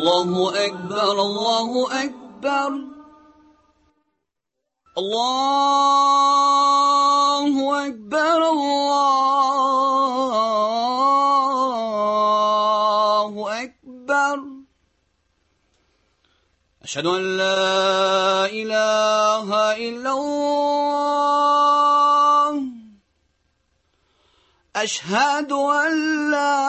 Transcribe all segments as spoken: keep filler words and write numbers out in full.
الله أكبر الله أكبر الله أكبر الله أكبر أشهد أن لا إله إلا الله أشهد أن لا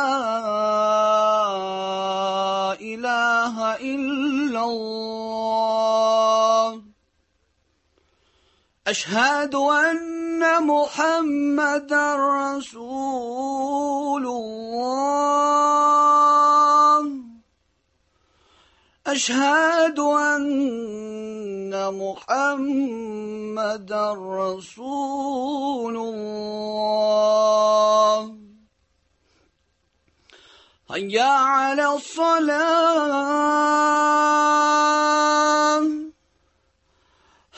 إله إلا الله أشهد أن محمدا رسول الله أشهد أن محمدا رسول الله هيا على الصلاة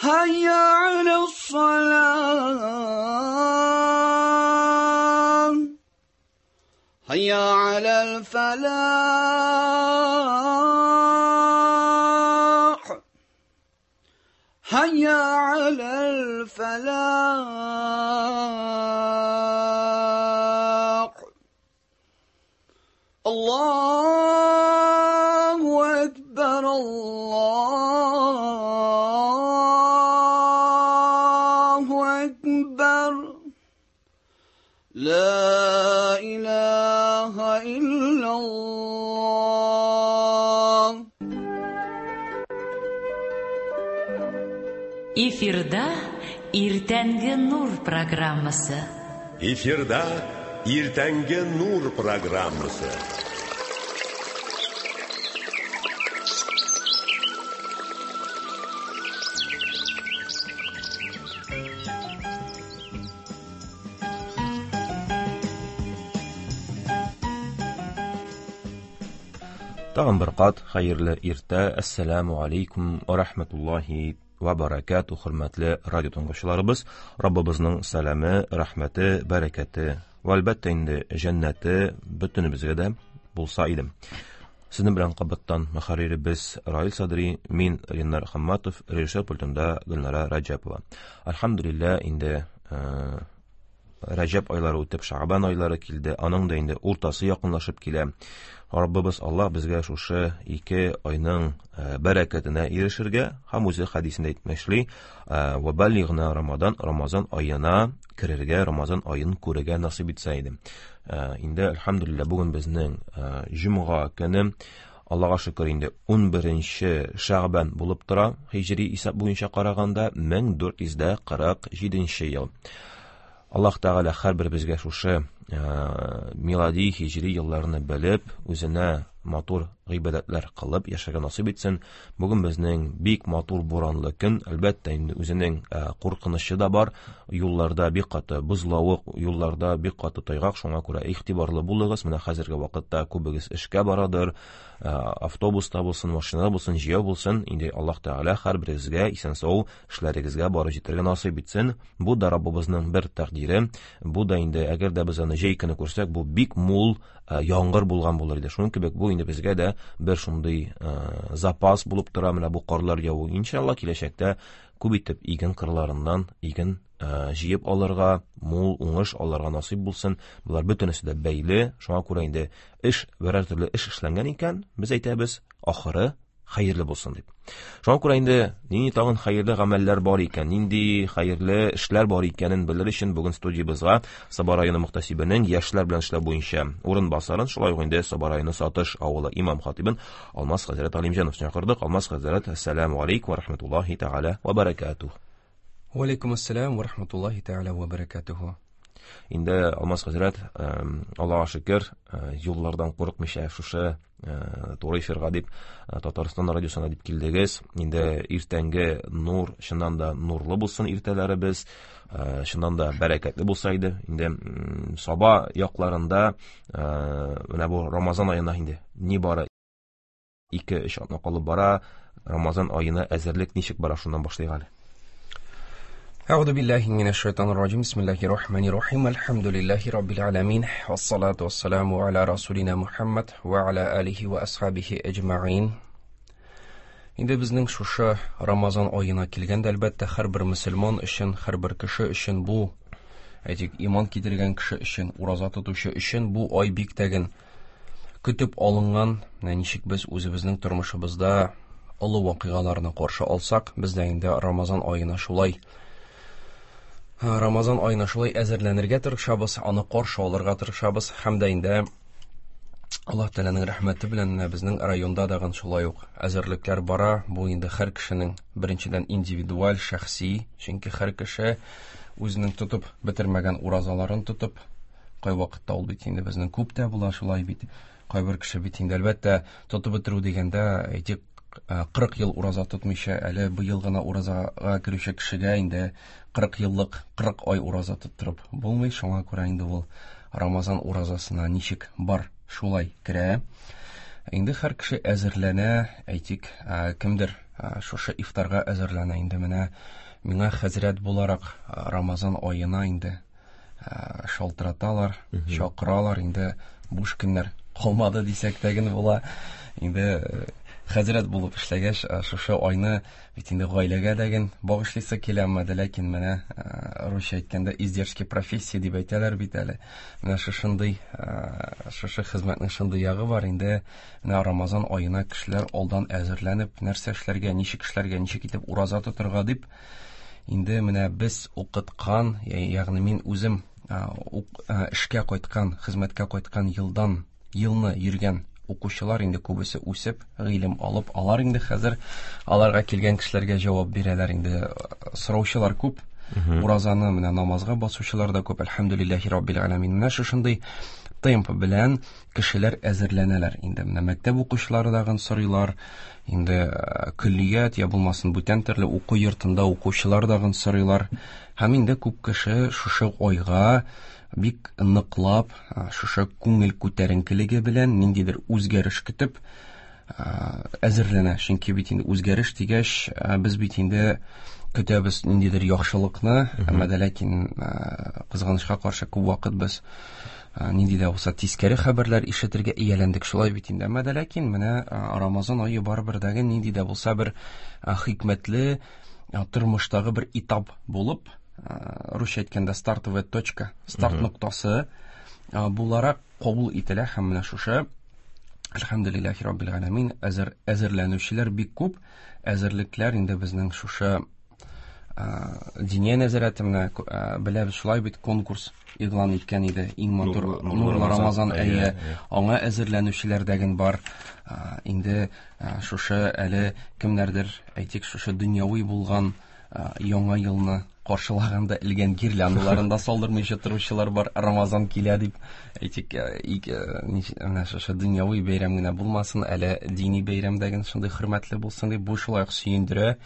هيا على الصلاة هيا على الفلاح هيا على الفلاح الله أكبر الله أكبر لا إله إلا الله. Эфирда Иртәнге Нур программасы. Эфирда Иртәнге Нур программасы. Тагын бер кат хәерле иртә. Ассаламу алейкум ва рахматуллахи ва баракату. Хөрмәтле радио тыңлаучыларыбыз, Раббыбызның сәламе, рәхмәте, бәрәкәте ва әлбәттә инде җәннәте бөтенебезгә дә булса иде. Сезнең белән кабаттан мөхәрриребез Раил Садри, мин Ринар Хамматов, режиссер пультында Гөлнара Раҗапова. Альхамдулилла, инде Рәҗәб айлары үтеп, Шәгъбан айлары килде. Аның да инде уртасы якынлашып килә. Раббыбыз Аллаһ безгә шушы ике айның бәрәкәтенә ирешергә һәм үзе хәдисендә әйтмешли, ва баллигна Рамадан, Рамазан аена керергә, Рамазан аен күрергә насыйп итсә иде. Инде альхамдулилла бүген безнең җомга көне, Аллаһка шөкер, инде ун беренче Шәгъбан булып тора, һиҗри исәп буенча караганда мең дүрт йөз дә кырык җиденче ел. Аллаһ Тәгалә һәрберебезгә шушы милади һиҗри елларны белеп, үзенә матур гыйбадәтләр кылып яшәргә насыйп итсен. Бүген безнең бик матур буранлы көн, әлбәттә инде үзенең куркынычы да бар. Юлларда бик каты бозлавык, юлларда бик каты тайгак, шуңа күрә игътибарлы булыгыз. Менә хәзерге вакытта күбегез эшкә барадыр, автобуста булсын, машинада булсын, җәяү булсын. Инде Аллаһ Тәгалә һәрберегезгә исән-сау эшләрегезгә барып җитәргә насыйп итсен. Бу да Раббыбызның бер тәкъдире. Бу да инде әгәр дә без аны җәй көне күрсәк, бу бик мул яңгыр булган булыр иде. Шуның кебек бу инде безгә дә бер шундый запас булып тора. Менә бу карлар яву, иншалла, киләчәктә күп итеп иген кырларыннан иген җыеп алырга, мул уңыш алырга насыйп булсын. Булар бөтенесе дә бәйле. Шуңа күрә инде эш, берәр төрле эш эшләнгән икән, без әйтәбез, ахыры хәерле булсын дип. Шуңа күрә инде нинди тагын хәерле гамәлләр бар икән, нинди хәерле эшләр бар икәнен белер өчен бүген студиябызга Саба районы мөхтәсибенең яшьләр белән эшләү буенча урынбасарын, шулай ук инде Саба районы Сатыш авылы имам хатибын Алмаз хәзрәт Алимҗанов чакырдык. Алмаз хәзрәт, ассаламу алейкум ва рахматуллахи тәгалә ва баракатуһ. Ва алейкум ассалам ва рахматуллахи тәгалә ва баракатуһ. Инде Алмаз хәзрәт, Аллаһка шөкер, юллардан курыкмыйча шушы туры эфирга дип, Татарстан радиосына дип килдегез. Инде иртәнге нур, чыннан да нурлы булсын иртәләребез, чыннан да бәрәкәтле булса иде. Инде Саба якларында менә бу Рамазан аена инде ни бары ике-өч атна калып бара. Рамазан аена әзерлек ничек бара, шуннан башлыйк әле. أعوذ بالله من الشيطان الرجيم. بسم الله الرحمن الرحيم. الحمد لله رب العالمين والصلاة والسلام على رسولنا Muhammad وعلى آله وأصحابه أجمعين. Инде безнең шушы Рамазан аена килгәндә, әлбәттә, һәрбер мөселман өчен, һәрбер кеше өчен бу, әйтик, иман китергән кеше өчен, ураза тотучы өчен бу ай бик тәген көтеп алынган. Менә ничек без үзебезнең тормышыбызда олы вакыйгаларны каршы алсак, без дә инде Рамазан аена шулай Рамазан аена шулай әзерләнергә тырышабыз, аны каршы алырга тырышабыз һәм дә инде Аллаһ Тәгаләнең рәхмәте белән менә безнең районда дагын шулай ук әзерлекләр бара. Бу инде һәр кешенең беренчедән индивидуаль, шәхси, чөнки һәр кеше үзенең тотып бетермәгән уразаларын тотып, кайвакытта ул бит инде безнең күп тә була шулай бит. Кайбер кеше бит инде әлбәттә тотып бетерү дигәндә, әйтик, кырык ел ураза тотмыйча, әле быел гына уразага керүче кешегә инде кырык еллык кырык ай ураза тоттырып булмый. Шуңа күрә инде ул Рамазан уразасына ничек бар шулай керә. Инде һәр кеше әзерләнә, әйтик, кемдер шушы ифтарга әзерләнә. Инде менә миңа хәзрәт буларак Рамазан аена инде шалтыраталар, чакыралар, инде буш көннәр калмады дисәк тә генә була. Инде хәзрәт булып эшләгәч, шушы айны бит инде гаиләгә дә багышлыйсы килә, әмма дә ләкин менә русча әйткәндә издержки профессии дип әйтәләр бит әле. Менә шушындый, шушы хезмәтнең шундый ягы бар. Инде менә Рамазан аена кешеләр алдан әзерләнеп, нәрсә эшләргә, ничек эшләргә, ничек итеп ураза тотырга дип, инде менә без укыткан, ягъни мин үзем эшкә кайткан, хезмәткә кайткан елдан елны йөргән укучылар инде күбесе үсеп, гыйлем алып, алар инде хәзер аларга килгән кешеләргә җавап бирәләр. Инде сораучылар күп, уразаны менә намазга басучылар да күп. Әлхәмдүлилләһи раббил галәмин. Менә шушындый темп белән кешеләр әзерләнәләр. Инде менә мәктәп укучылары дагын сорыйлар, инде көллият я булмасын бүтән төрле уку йортында укучылар дагын сорыйлар. Һәм инде күп кеше шушы айга бик ныклап, шушы күңел күтәренкелеге белән ниндидер үзгәреш көтеп әзерләнә. Чөнки бит инде үзгәреш дигәч, без бит инде көтәбез ниндидер яхшылыкны, әмма дә ләкин кызганычка каршы күп вакыт без нинди дә булса тискәре хәбәрләр ишетергә ияләндек шулай бит инде. Әмма дә ләкин менә Рамазан ае барыбер дә нинди дә булса бер хикмәтле тормыштагы бер этап булып, русча әйткәндә стартовая точка, старт ноктасы буларак кабул ителә. Һәм менә шушы әлхәмдүлилләһи раббил галәмин әзер әзерләнүчеләр бик күп. Әзерлекләр инде безнең шушы Диния нәзарәте менә беләбез шулай бит, конкурс игълан иткән иде. Иң матур нурлы Рамазан ае, аңа әзерләнүчеләр дәген бар. Инде шушы әле кемнәрдер, әйтик, шушы дөньяви булган яңа елны каршылаганда элгән гирляндаларын да салдырмыйча торучылар бар, Рамазан килә дип. Әйтик, менә шушы дөньяви бәйрәм генә булмасын, әле дини бәйрәм дә генә шундый хөрмәтле булсын дип, бу шулай ук сөендерә.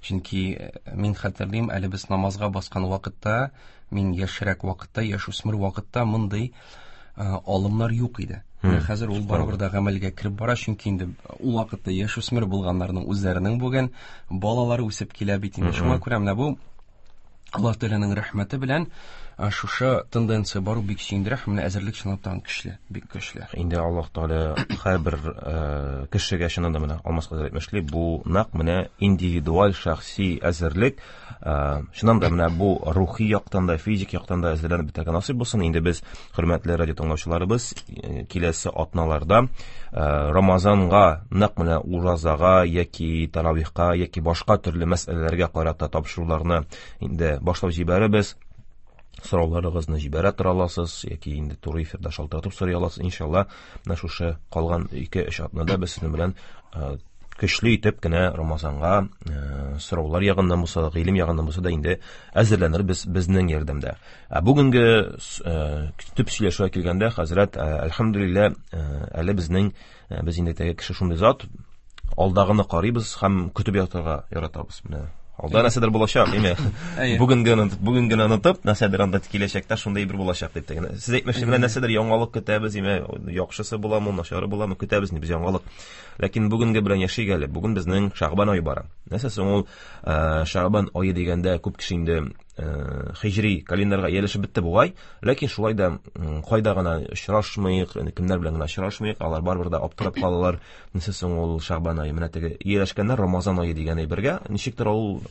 Чөнки мин хәтерлим, әле без намазга баскан вакытта, мин яшьрәк вакытта, яшүсмер вакытта мондый алымнар юк иде. Хәзер ул барыбер дә гамәлгә кереп бара, чөнки инде ул вакытта яшүсмер булганнарның үзләренең бүген балалары үсеп килә бит инде. Шуңа күрә менә бу Аллаһ Тәгаләнең рәхмәте белән шушы тенденция бару бик сөендерә, һәм менә әзерлек чынлап та көчле, бик көчле. Инде Аллаһ Тәгалә һәрбер кешегә чыннан да менә Алмаз хәзрәт әйтмешли, бу нәкъ менә индивидуаль шәхси әзерлек, чыннан да менә бу рухи яктан да, физик яктан да әзерләнеп бетәргә насыйп булсын. Инде без, хөрмәтле радио тыңлаучыларыбыз, киләсе атналарда Рамазанга, нәкъ менә уразага яки таравихка яки башка төрле мәсьәләләргә карата тапшыруларны инде башлап җибәрәбез. Сорауларыгызны җибәрә тора аласыз яки инде туры эфирда шалтыратып сорый аласыз. Иншалла, менә шушы калган ике-өч атнада без сезнең белән көчле итеп кенә Рамазанга сораулар ягыннан булса да, гыйлем ягыннан булса да инде әзерләнербез безнең ярдәмдә. Ә бүгенге төп сөйләшүгә килгәндә, хәзрәт, әлхәмдүлилләһ, әле безнең без инде теге кеше шундый зат, алдагыны карыйбыз һәм көтеп ятырга яратабыз. Менә алда нәрсәдер булачак, әйме? Бүген генә бүген генә онытып, нәрсәдер анда киләчәктә шундый бер булачак дип тә. Сез әйтмешли, менә нәрсәдер яңалык көтәбез, әйме, яхшысы буламы, начары буламы, көтәбез инде без яңалык. Ләкин бүгенге белән яшик әле. Бүген безнең Шәгъбан ае бара. Нәрсә соң ул Шәгъбан ае дигәндә күп кеше инде хиҗри календарьга ияләшеп бетте бугай, ләкин шулай да кайда гына очрашмыйк, кемнәр белән генә очрашмыйк, алар барыбер дә аптырап калалар. Нәрсә соң ул Шәгъбан ае? Менә теге ияләшкәннәр Рамазан ае дигән әйбергә ничектер ул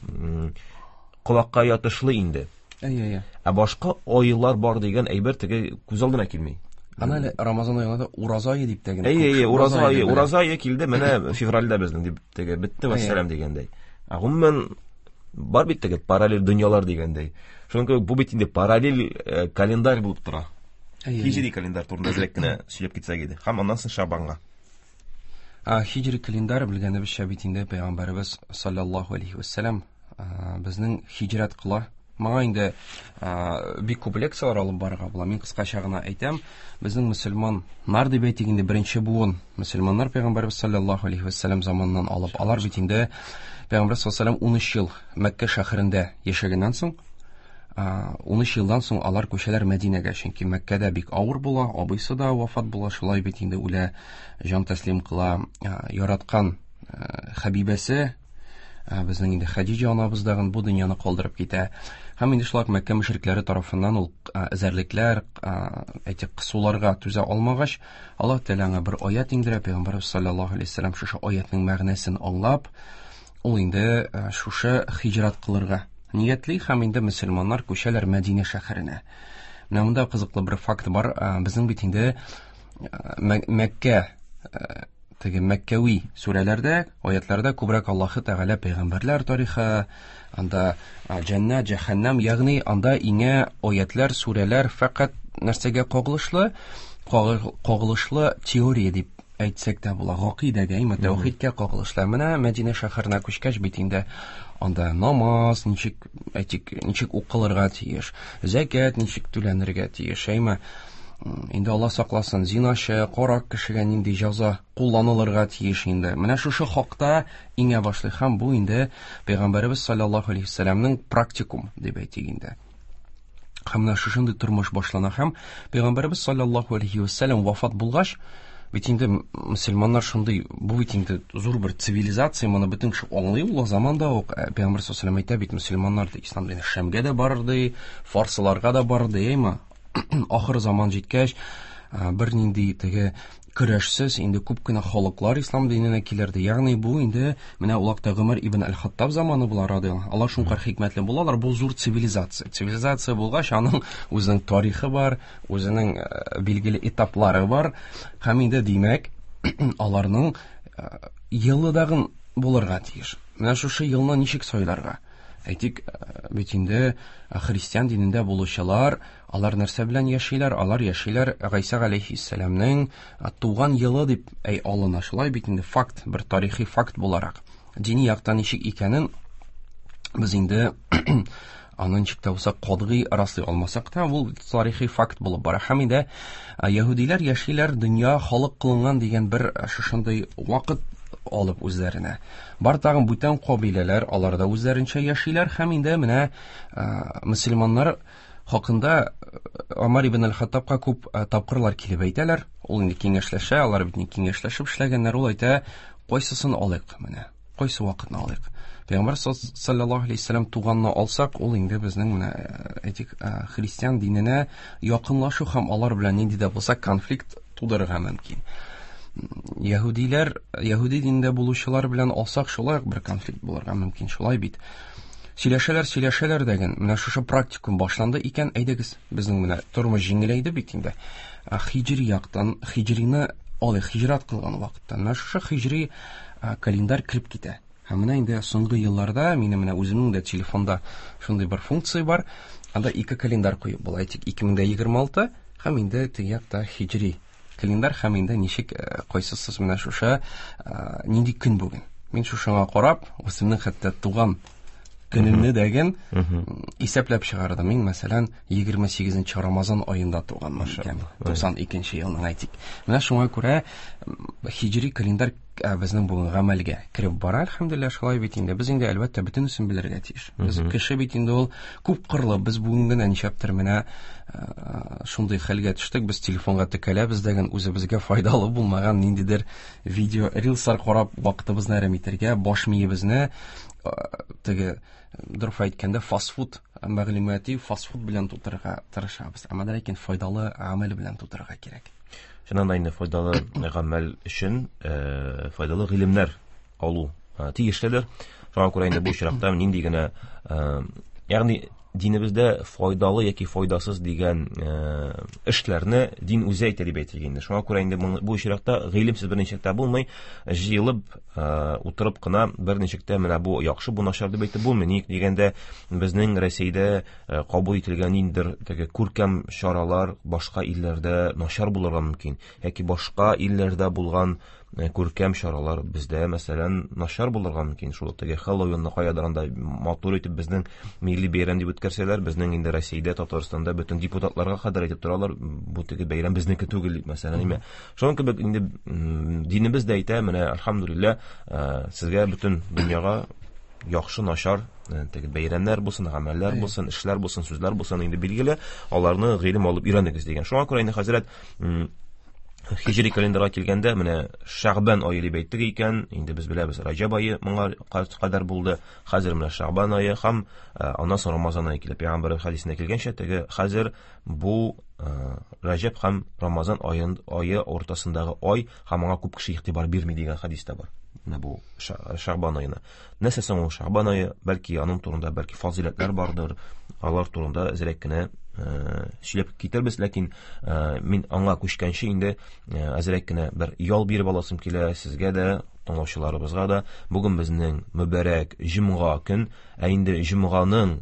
колакка ятышлы инде. Әйе, әйе. Ә башка айлар бар дигән әйбер теге күз алдына килми. Ана әле Рамазан аенда ураза ае дип тә генә. Әйе, әйе, ураза ае, ураза ае килде, менә февральдә безнең дип теге бетте вәссәлам дигәндәй. Ә гомумән бар бит теге параллель дөньялар дигәндәй. Шуның кебек бу бит инде параллель календарь булып тора. Хиҗри календарь турында әзрәк кенә сөйләп китсәк иде. Һәм аннан соң Шәгъбанга. А хиҗри календарь белгәнебезчә бит инде Пәйгамбәребез саллаллаһу алейхи вәссәлам безнең хиҗрәт кыла. Моңа инде бик күп лекцияләр алып барырга була. Мин кыскача гына әйтәм, безнең мөселманнар дип әйтик инде беренче буын мөселманнар Пәйгамбәребез саллаллаһу алейхи вәссәлам заманыннан алып, алар бит инде Пәйгамбәр саллаллаһу алейһи вәссәлам ун өч ел Мәккә шәһәрендә яшәгәннән соң, ун өч елдан соң алар күчәләр Мәдинәгә, чөнки Мәккәдә бик авыр була, абыйсы да вафат була, шулай бит инде үлә, җан тәслим кыла, яраткан хәбибәсе безнең инде Хәдиҗә анабыз дагын бу дөньяны калдырып китә. Һәм инде шулай Мәккә мөшрикләре тарафыннан ул эзәрлекләр, әйтик, кысуларга түзә алмагач, Аллаһ Тәгалә аңа бер аят иңдерә. Пәйгамбәребез саллаллаһу алейһи вәссәлам шушы аятның мәгънәсен аңлап, ул инде шушы хиҗрат кылырга ниятли һәм инде мөселманнар күчәләр Мәдинә шәһәренә. Менә монда кызыклы бер факт бар. Безнең бит инде Мәккә теге Мәккәви сүрәләрдә, аятларда күбрәк Аллаһы Тәгалә пәйгамбәрләр тарихы, анда җәннәт, җәһәннәм, ягъни анда иңә аятлар, сүрәләр фәкать нәрсәгә кагылышлы, кагылышлы теория дип әйтсәк тә була, гакыйдәгә, имә тәүхидкә кагылышлы. Менә Мәдинә шәһәренә күчкәч бит инде анда намаз ничек, әйтик, ничек укылырга тиеш, зәкят ничек түләнергә тиеш, әйме инде Алла сакласын, зиначы, карак кешегә нинди җәза кулланылырга тиеш инде. Менә шушы хакта иңә башлый һәм бу инде Пәйгамбәребез саллаллаһу алейһи вәссәламнең практикум дип әйтик инде. Һәм менә шушындый тормыш башлана һәм Пәйгамбәребез саллаллаһу алейһи вәссәлам вафат булгач, бит инде мөселманнар шундый, бу бит инде зур бер цивилизация, моны бөтен кеше аңлый ул заманда ук. Пәйгамбәр саллаллаһу алейһи вәссәлам әйтә бит, мөселманнар ди, ислам дине Шәмгә дә барыр ди, фарсыларга да барыр ди, әйме? Ахыр заман җиткәч, бер нинди теге көрәшсез инде күп кенә халыклар ислам диненә килерде. Ягъни бу инде менә улакта Гомәр ибн әл-Хаттаб заманы була радиаллаһу. Алар шуңа хикмәтле булалар, бу зур цивилизация. Цивилизация булгач, аның үзенең тарихы бар, үзенең билгеле этаплары бар. Һәм инде димәк, аларның елы дагын булырга тиеш. Менә шушы елны ничек сайларга? Әйтик, бит инде христиан динендә булучылар, алар нәрсә белән яшиләр? Алар яшиләр Гайсә галәйһиссәламнең туган елы дип әй алына. Шулай бит инде факт, бер тарихи факт буларак. Дини яктан ничек икәнен без инде аны ничек тә булса катгый раслый алмасак та, ул тарихи факт булып бара. Һәм инде яһүдиләр яшиләр дөнья халык кылынган дигән бер шушындый вакыт алып үзләренә. Бар тагын бүтән кабиләләр, алар да үзләренчә яшиләр һәм инде менә мөселманнар хакында Омар ибн әл-Хаттабка күп тапкырлар килеп әйтәләр. Ул инде киңәшләшә, алар бит киңәшләшеп эшләгәннәр. Ул әйтә, кайсысын алыйк менә, кайсы вакытны алыйк. Пәйгамбәр саллаллаһу алейһи вәссәлам туганны алсак, ул инде безнең менә әйтик христиан диненә якынлашу һәм алар белән нинди дә булса конфликт тудырырга мөмкин. Яһүдиләр, яһүди динендә булучылар белән алсак, шулай ук бер конфликт булырга мөмкин, шулай бит. Сөйләшәләр, сөйләшәләр дәген, менә шушы практикум башланды икән, әйдәгез, безнең менә тормыш җиңеләйде бит инде. Хиҗри яктан, хиҗрины алыйк, хиҗрат кылган вакыттан, менә шушы хиҗри календарь кереп китә. Һәм менә инде соңгы елларда минем менә үземнең дә телефонда шундый бер функция бар. Анда ике календарь куеп була. Әйтик, ике мең егерме алты һәм инде теге якта хиҗри календарь һәм инде ничек кайсысыз менә шушы нинди көн бүген. Мин шушыңа карап, үземнең хәтта туган көнемне дәген исәпләп чыгардым. Мин, мәсәлән, егерме сигезенче Рамазан аенда туганмын икән, туксан икенче елның әйтик. Менә шуңа күрә хиҗри календарь безнең бүген гамәлгә кереп бара, әлхәмдүлилләһ, шулай бит инде. Без инде әлбәттә бөтенесен белергә тиеш. Без кеше бит инде ул күп кырлы. Без бүген генә ничәптер менә шундый хәлгә төштек, без телефонга текәләбез дәген үзебезгә файдалы булмаган ниндидер видео, рилслар карап вакытыбызны әрәм итәргә, баш миебезне теге дөрес әйткәндә фастфуд мәгълүмати фастфуд белән тутырырга тырышабыз. Әмма ләкин файдалы гамәл белән тутырырга кирәк. Чыннан да инде файдалы гамәл өчен файдалы гыйлемнәр алу тиешледер. Шуңа күрә инде бу очракта нинди генә, ягъни динебездә файдалы яки файдасыз дигән эшләрне дин үзе әйтә дип әйтелгән инде. Шуңа күрә инде бу очракта гыйлемсез берничек тә булмый, җыелып утырып кына берничек тә менә бу яхшы, бу начар дип әйтеп булмый. Ник дигәндә, безнең Рәсәйдә кабул ителгән ниндидер теге күркәм чаралар башка илләрдә начар булырга мөмкин, яки башка илләрдә булган күркәм чаралар бездә, мәсәлән, начар булырга мөмкин. Шул теге Хэллоуинны каядыр анда матур итеп безнең милли бәйрәм дип үткәрсәләр, безнең инде Рәсәйдә, Татарстанда бөтен депутатларга кадәр әйтеп торалар, бу теге бәйрәм безнеке түгел дип, мәсәлән, әйме. Шуның кебек инде динебез дә әйтә, менә альхамдулилла, сезгә бөтен дөньяга яхшы, начар теге бәйрәмнәр булсын, гамәлләр булсын, эшләр булсын, сүзләр булсын, инде билгеле, аларны гыйлем алып өйрәнегез дигән. Шуңа күрә инде хәзрәт Хиҗри календарга килгәндә, менә Шәгъбан ае дип әйттек икән, инде без беләбез, Раҗаб ае моңа кадәр булды, хәзер менә Шәгъбан ае һәм аннан соң Рамазан ае килә. Пәйгамбәр хәдисендә килгәнчә, теге хәзер бу Раҗаб һәм Рамазан ае уртасындагы ай һәм аңа күп кеше игътибар бирми дигән хәдис тә бар. Менә бу Шәгъбан аена. Нәрсә соң ул Шәгъбан ае? Бәлки аның турында бәлки фазыйләтләр бардыр, алар турында әзрәк кенә сөйләп китербез, ләкин мин аңа күчкәнче инде әзрәк кенә бер ял биреп аласым килә сезгә дә, тыңлаучыларыбызга да. Бүген безнең мөбарәк җомга көн, ә инде җомганың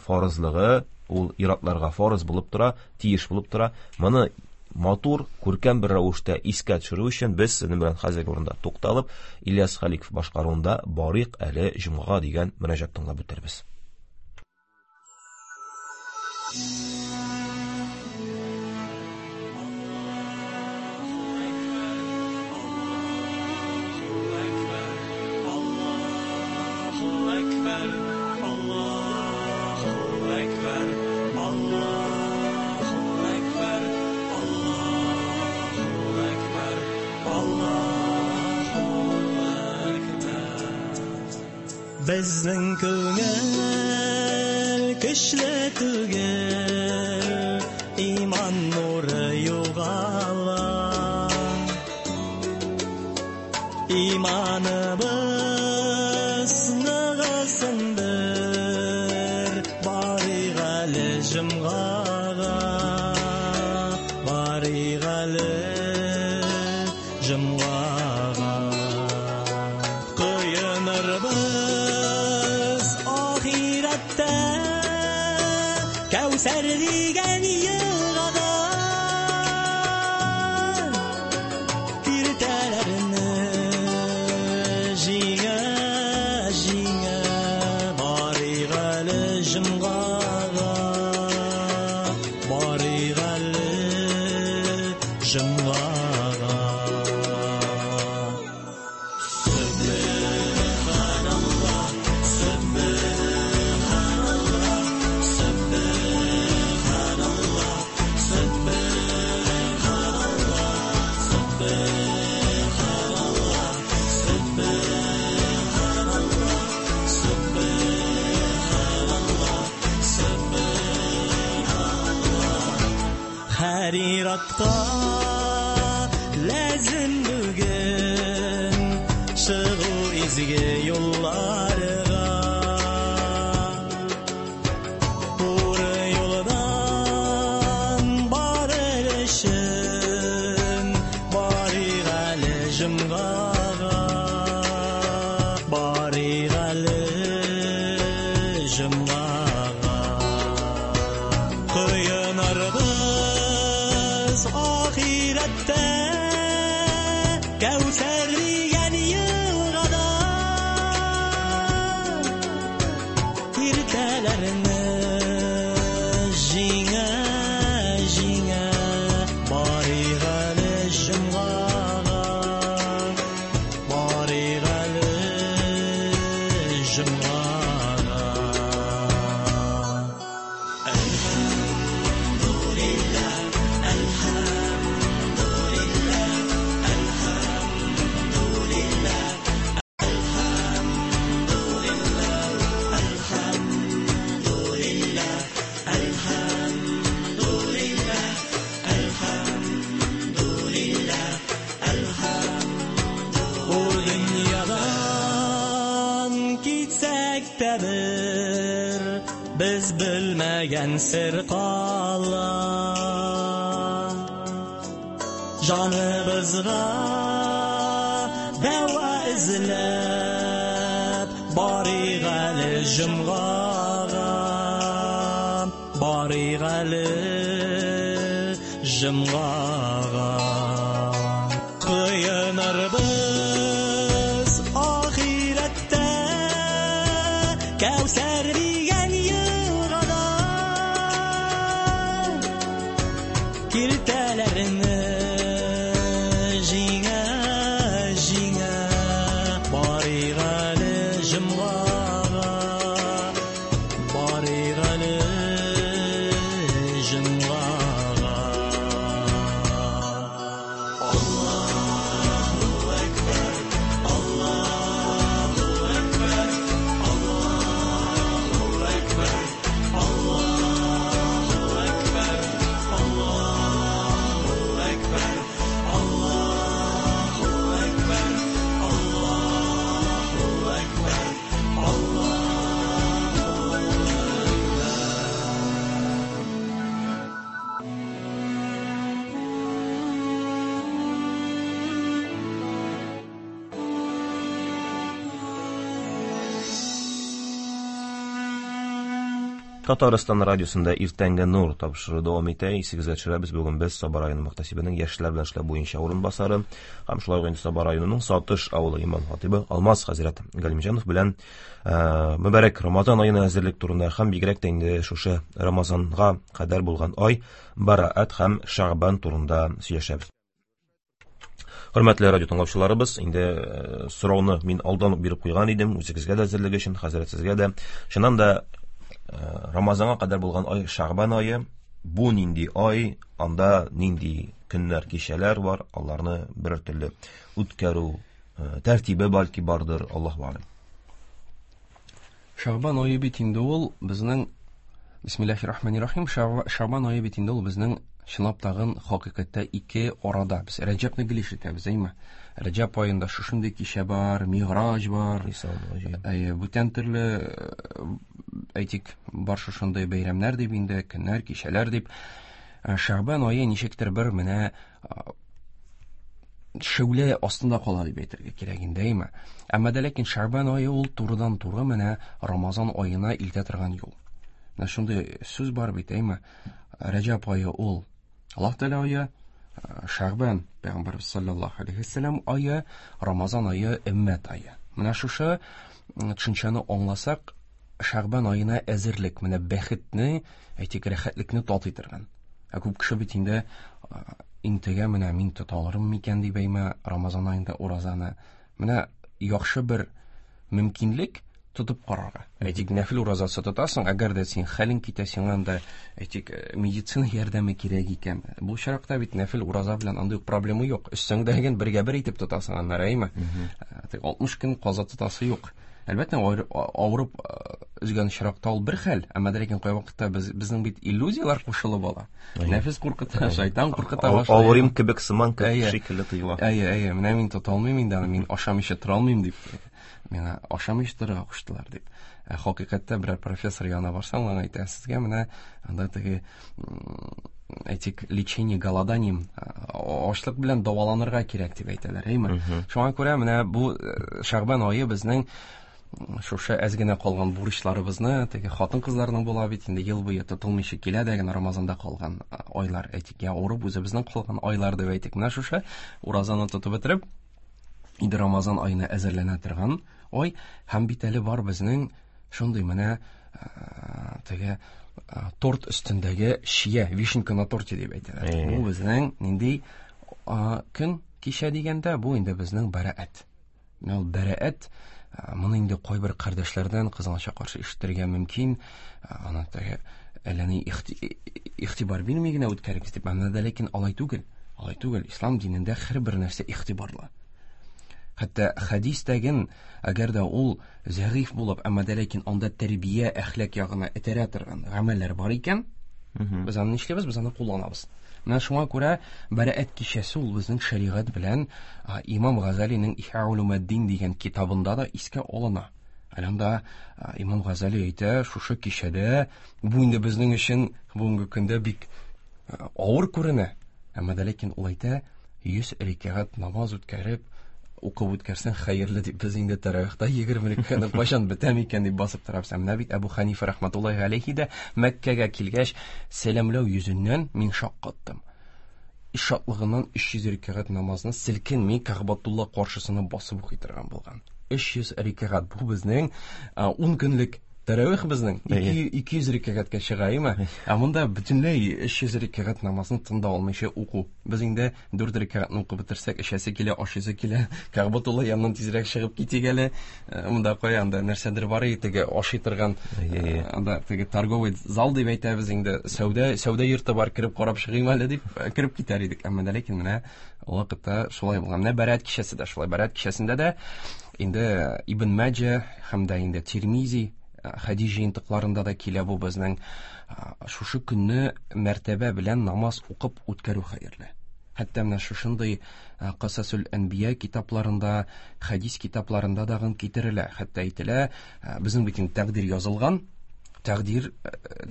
фарызлыгы ул ир-атларга фарыз булып тора, тиеш булып тора. Моны матур, күркәм бер рәвештә искә төшерү өчен без сезнең белән хәзерге урында тукталып, Ильяс Халиков башкаруында Барыйк әле җомгага дигән мөрәҗәгать тыңлап үтербез. Безнең күңел көчле түгел, иман нуры югала. Иманыбыз ныгысын бер, барыйк әле җомгага, барыйк әле җомгага. Коенырбыз ахирәттә, Кәүсәр дигән елгада, киртәләрне җиңә, җиңә, барыйк әле җомгага, барыйк әле җомгага. Һәр ләзем бүген чыгу изге юлларга, туры юлдан барыр өчен барыйк әле җомгага, барыйк әле җомгага. Коенырбыз ахирәттә, Кәүсәр дигән елгада, киртәләрне җиңә, җиңә, барыйк әле җомгага, барыйк әле җомгага. Әлхәмдүлилләһ, әлхәмдүлилләһ, әлхәмдүлилләһ, әлхәмдүлилләһ, әлхәмдүлилләһ, Ахирәттә бер без белмәгән сер кала. Җаныбызга дәва эзләп барыйк әле җомгага, барыйк әле җомгага. Коенырбыз ахирәттә Кәүсәр дигән елгада, киртәләрне җиңә җиңә барыйк әле җомгага, барыйк әле җомгага. Аллаһу әкбәр, Аллаһу әкбәр, Аллаһу әкбәр, Аллаһу әкбәр, Аллаһу әкбәр, Аллаһу әкбәр, Аллаһу әкбәр, Аллаһу. Татарстан радиосында «Иртәнге нур» тапшыруы дәвам итә. Исегезгә төшерәбез, бүген без Саба районы мөхтәсибенең яшьләр белән эшләү буенча урынбасары һәм шулай ук инде Саба районының Сатыш авылы имам хатибы Алмаз хәзрәт Галимҗанов белән э, мөбарәк Рамазан аена әзерлек турында һәм бигрәк тә инде шушы Рамазанга кадәр булган ай Бараат һәм Шәгъбан турында сөйләшәбез. Хөрмәтле радио тыңлаучыларыбыз, инде э, сорауны мин алдан ук биреп куйган идем, үзегезгә дә әзерлек өчен, хәзрәт сезгә дә. Чыннан да э, Рамазанга кадәр булган ай Шәгъбан ае, бу нинди ай, анда нинди көннәр, кичәләр бар, аларны бер төрле үткәрү э, тәртибе бәлки бардыр, Аллаһу алем. Шәгъбан ае бит инде ул безнең, Бисмиллахир-рахманир-рахим, Шәгъбан ае бит инде ул безнең чынлап тагын хакыйкатьтә ике арада. Без Рәҗәбне гел ишетәбез, әйме? Рәҗәб аенда шушындый кичә бар, Миграҗ бар, әйе, бүтән төрле, э, әйтик, бар шушындый бәйрәмнәр дип инде, көннәр, кичәләр дип. Э, Шәгъбан ае ничектер бер менә э, шәүлә астында кала дип әйтергә кирәк инде, әйме? Әмма дә ләкин Шәгъбан ае ул турыдан-туры менә Рамазан аена илтә торган юл. Менә шундый сүз бар бит, әйме? Рәҗәб ае ул Аллаһ Тәгалә ае, Шәгъбан пәйгамбәрбез саллаллаһу алейһи вәсәлләм ае, Рамазан ае өммәт ае. Менә шушы төшенчәне аңласак, Шәгъбан аена әзерлек, менә бәхетне, әйтик, рәхәтлекне татый торган. Ә күп кеше бит инде интегә, менә мин тота алырмын микән дип әйме Рамазан аенда уразаны. Менә яхшы бер мөмкинлек тотып карарга. Әйтик, нәфил уразасы тотасың, әгәр дә син хәлең китә, сиңа анда, әйтик, медицина ярдәме кирәк икән. Бу очракта бит нәфил ураза белән андый ук проблема юк. Өстеңдәген бергә бер итеп тотасың аннары, әйме? Тик алтмыш көн каза тотасы юк. Әлбәттә, авырып өзгән очракта ул бер хәл, әмма дә ләкин кайвакытта без, безнең бит иллюзияләр кушылып ала. Нәфес куркыта, шайтан куркыта башлый. Авырым кебек сыман шикелле тоела. Әйе, әйе, менә мин тота алмыйм инде, мин ашамыйча тора алмыйм дип. Миңа ашамыйча торырга куштылар дип. Ә хакыйкатьтә берәр профессор янына барсаң, ул әйтә, сезгә менә анда теге, әйтик, лечение голоданием, ачлык белән дәваланырга кирәк дип әйтәләр, әйме? Шуңа күрә менә бу Шәгъбан ае безнең шушы әз генә калган бурычларыбызны, теге хатын-кызларның була бит инде ел буе тотылмыйча килә дә генә Рамазанда калган айлар, әйтик, я авырып үзебезнең калган айлар дип әйтик. Менә шушы уразаны тотып бетереп, инде Рамазан аена әзерләнә торган ай, һәм бит әле бар безнең шундый менә теге торт өстендәге чия, вишенка на торте дип әйтәләр. Бу безнең нинди көн кичә дигәндә, бу инде безнең бәраәт. Менә ул бәраәт, моны инде кайбер кардәшләрдән кызганычка каршы ишетергә мөмкин, аны теге әллә ни игътибар бирми генә үткәрегез дип, әмма дә ләкин алай түгел. Алай түгел. Ислам динендә һәрбер нәрсә игътибарлы. Хәтта хәдистәген, әгәр дә ул зәгыйф булып, әмма дә ләкин анда тәрбия, әхлак ягына этәрә торган гамәлләр бар икән, без аны нишлибез? Без аны кулланабыз. Менә шуңа күрә Бәраәт кичәсе ул безнең шәригать белән Имам Газалиның Ихя улумаддин дигән китабында да искә алына. Әле анда Имам Газали әйтә, шушы кичәдә бу инде безнең өчен бүгенге көндә бик авыр күренә. Әмма дә ләкин ул әйтә, йөз рәкәгать намаз үткәреп, укып үткәрсәң хәерле дип. Без инде тәравихта егерме рәкәгатьне кайчан бетәм икән дип басып торабыз. Ә менә бит Әбу Ханифа рахматуллаһи алейхи дә Мәккәгә килгәч, сәламләү йөзеннән мин шаккаттым. Шатлыгыннан өч йөз рәкәгать намазны селкенми Кәгъбәтулла каршысына басып укый торган булган. Өч йөз рәкәгать бу безнең ун көнлек тәравих безнең ике йөз рәкәгатькә чыга, әйме? Ә монда бөтенләй өч йөз рәкәгать намазны тында алмыйча уку. Без инде дүрт рәкәгатьне укып бетерсәк, эчәсе килә, ашыйсы килә. Кәгъбәтулла яныннан тизрәк чыгып китик әле. Монда кая анда нәрсәдер бар иде, теге ашый торган, анда теге торговый зал дип әйтәбез инде, сәүдә, сәүдә йорты бар, кереп карап чыгыйм әле дип кереп китәр идек. Әмма дә ләкин менә ул вакытта шулай булган. Менә Бәрәт кичәсе дә шулай. Бәрәт кичәсендә дә инде Ибн Маҗа һәм дә инде Тирмизи хәдис җыентыкларында да килә бу безнең шушы көнне мәртәбә белән намаз укып үткәрү хәерле. Хәтта менә шушындый Касасул Әнбия китапларында, хәдис китапларында дагын китерелә. Хәтта әйтелә, безнең бит инде тәкъдир язылган, тәкъдир,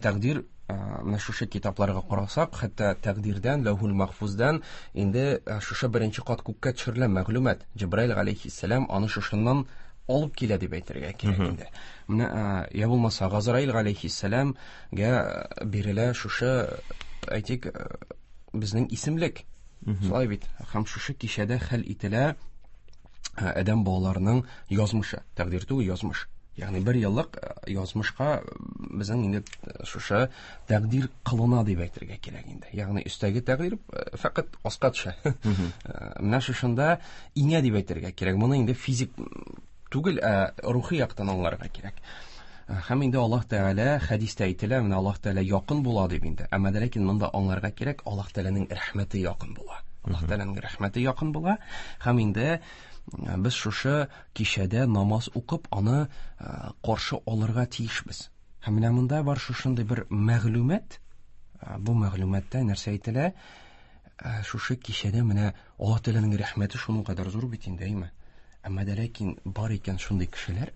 тәкъдир менә шушы китапларга карасак, хәтта тәкъдирдән, Ләүхул Махфуздан инде шушы беренче кат күккә төшерелә мәгълүмат. Җибраил галәйһиссәлам аны шушыннан алып килә дип әйтергә кирәк инде. Менә я булмаса Газраил галәйһиссәламгә бирелә шушы, әйтик, безнең исемлек. Шулай бит. Һәм шушы кичәдә хәл ителә адәм балаларының язмышы. Тәкъдир түгел, язмыш. Ягъни бер еллык язмышка безнең инде шушы тәкъдир кылына дип әйтергә кирәк инде. Ягъни өстәге тәкъдир фәкать аска төшә. Менә шушында иңә дип әйтергә кирәк. Моны инде физик түгел, ә рухи яктан аңларга кирәк. Һәм инде Аллаһ Тәгалә хәдистә әйтелә, менә Аллаһ Тәгалә якын була дип инде. Әмма дә ләкин монда аңларга кирәк, Аллаһ Тәгаләнең рәхмәте якын була. Аллаһ Тәгаләнең рәхмәте якын була. Һәм инде без шушы кичәдә намаз укып, аны каршы алырга тиешбез. Һәм менә монда бар шушындый бер мәгълүмат. Бу мәгълүматта нәрсә әйтелә? Шушы кичәдә менә Аллаһ Тәгаләнең рәхмәте шуның кадәр зур бит инде, әйме? Әмма дә ләкин бар икән шундый кешеләр,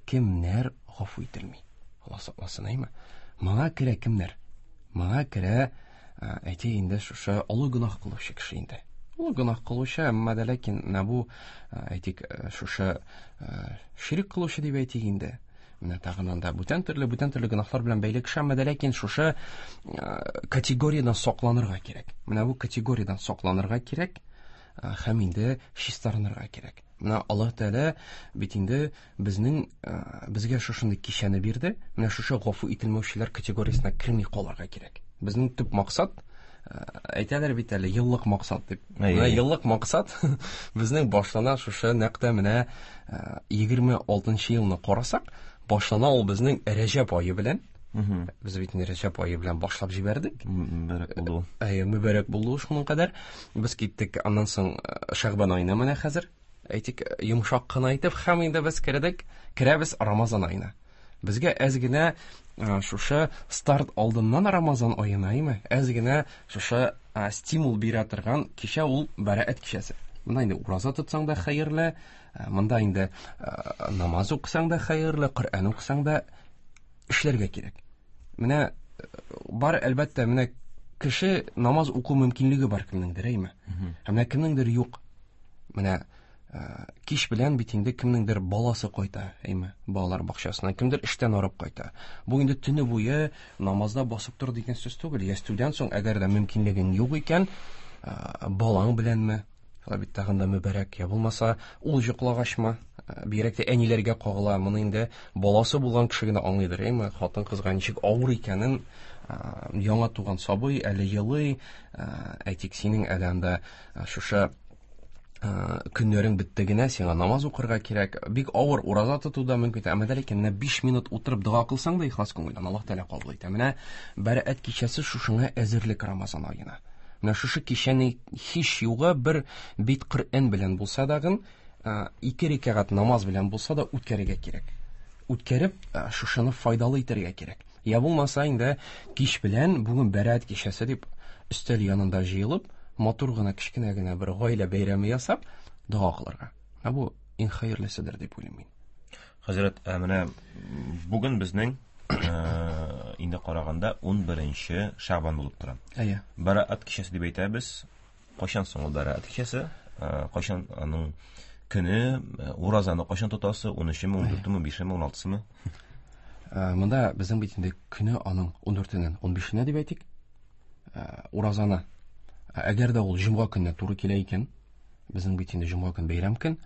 кемнәр гафу ителми. Алла сакласын, әйме? Моңа керә кемнәр? Моңа керә, әйтик инде, шушы олы гөнаһ кылучы кеше инде. Олы гөнаһ кылучы, әмма дә ләкин менә бу, әйтик, шушы ширк кылучы дип әйтик инде. Менә тагын анда бүтән төрле, бүтән төрле гөнаһлар белән бәйле кеше, әмма дә ләкин шушы категориядән сакланырга кирәк. Менә бу категориядән сакланырга кирәк. Һәм инде чистарынырга кирәк. Менә Аллаһ Тәгалә бит инде безнең, безгә шушындый кичәне бирде. Менә шушы гафу ителмәүчеләр категориясенә керми калырга кирәк. Безнең төп максат, әйтәләр бит әле, еллык максат дип. Менә еллык максат безнең башлана шушы нәкъ тә менә егерме алтынчы елны карасак, башлана ул безнең Рәҗәб ае белән. Без бит инде Рәҗәб ае белән башлап җибәрдек. Мөбарәк булды. Әйе, мөбарәк булды шуның кадәр. Без киттек аннан соң Шәгъбан аена менә хәзер. Әйтик, йомшак кына итеп һәм инде без кердек, керәбез Рамазан аена. Безгә әз генә шушы старт алдыннан Рамазан аена, әйме? Әз генә шушы стимул бирә торган кичә ул Бәраәт кичәсе. Монда инде ураза тотсаң да хәерле, монда инде намаз укысаң да хәерле, Коръән укысаң да эшләргә кирәк. Менә бар, әлбәттә, менә кеше намаз уку мөмкинлеге бар кемнеңдер, әйме? Ә менә кемнеңдер юк. Менә кич белән бит инде кемнеңдер баласы кайта, әйме? Балалар бакчасына, кемдер эштән арып кайта. Бу инде төне буе намазда басып тор дигән сүз түгел. Ястүдән соң әгәр дә мөмкинлегең юк икән, балаң беләнме? Шулай бит тагын да мөбарәк, я булмаса, ул йоклагачмы? Бигрәк тә әниләргә кагыла. Моны инде баласы булган кеше генә аңлыйдыр, әйме? Хатын-кызга ничек авыр икәнен, яңа туган сабый әле елый, әйтик, синең әле анда шушы көннәрең бетте генә, сиңа намаз укырга кирәк. Бик авыр ураза тоту да мөмкин. Әмма дә ләкин менә биш минут утырып дога кылсаң да ихлас күңелдән Аллаһ Тәгалә кабул итә. Менә Бәраәт кичәсе шушыңа әзерлек Рамазан аена. Менә шушы кичәне һич югы бер бит Коръән белән булса дагын, ике рәкәгать намаз белән булса да үткәрергә кирәк. Үткәреп, шушыны файдалы итәргә кирәк. Я булмаса инде кич белән бүген Бәраәт кичәсе дип өстәл янында җыелып, матур гына кечкенә генә бер гаилә бәйрәме ясап, дога кылырга. Ә бу иң хәерлеседер дип уйлыйм мин. Хәзрәт, менә бүген безнең инде караганда ун беренче Шәгъбан булып тора. Әйе. Бәраәт кичәсе дип әйтәбез. Кайчан соң ул Бәраәт кичәсе? Кайчан аның көне, уразаны кайчан тотасы? ун өчеме, ун дүртеме, бишеме, ун алтысымы? Монда безнең бит инде көне аның ун дүртеннән ун бишенә дип әйтик. Уразаны, әгәр дә ул җомга көненә туры килә икән, безнең бит инде җомга көн бәйрәм көн,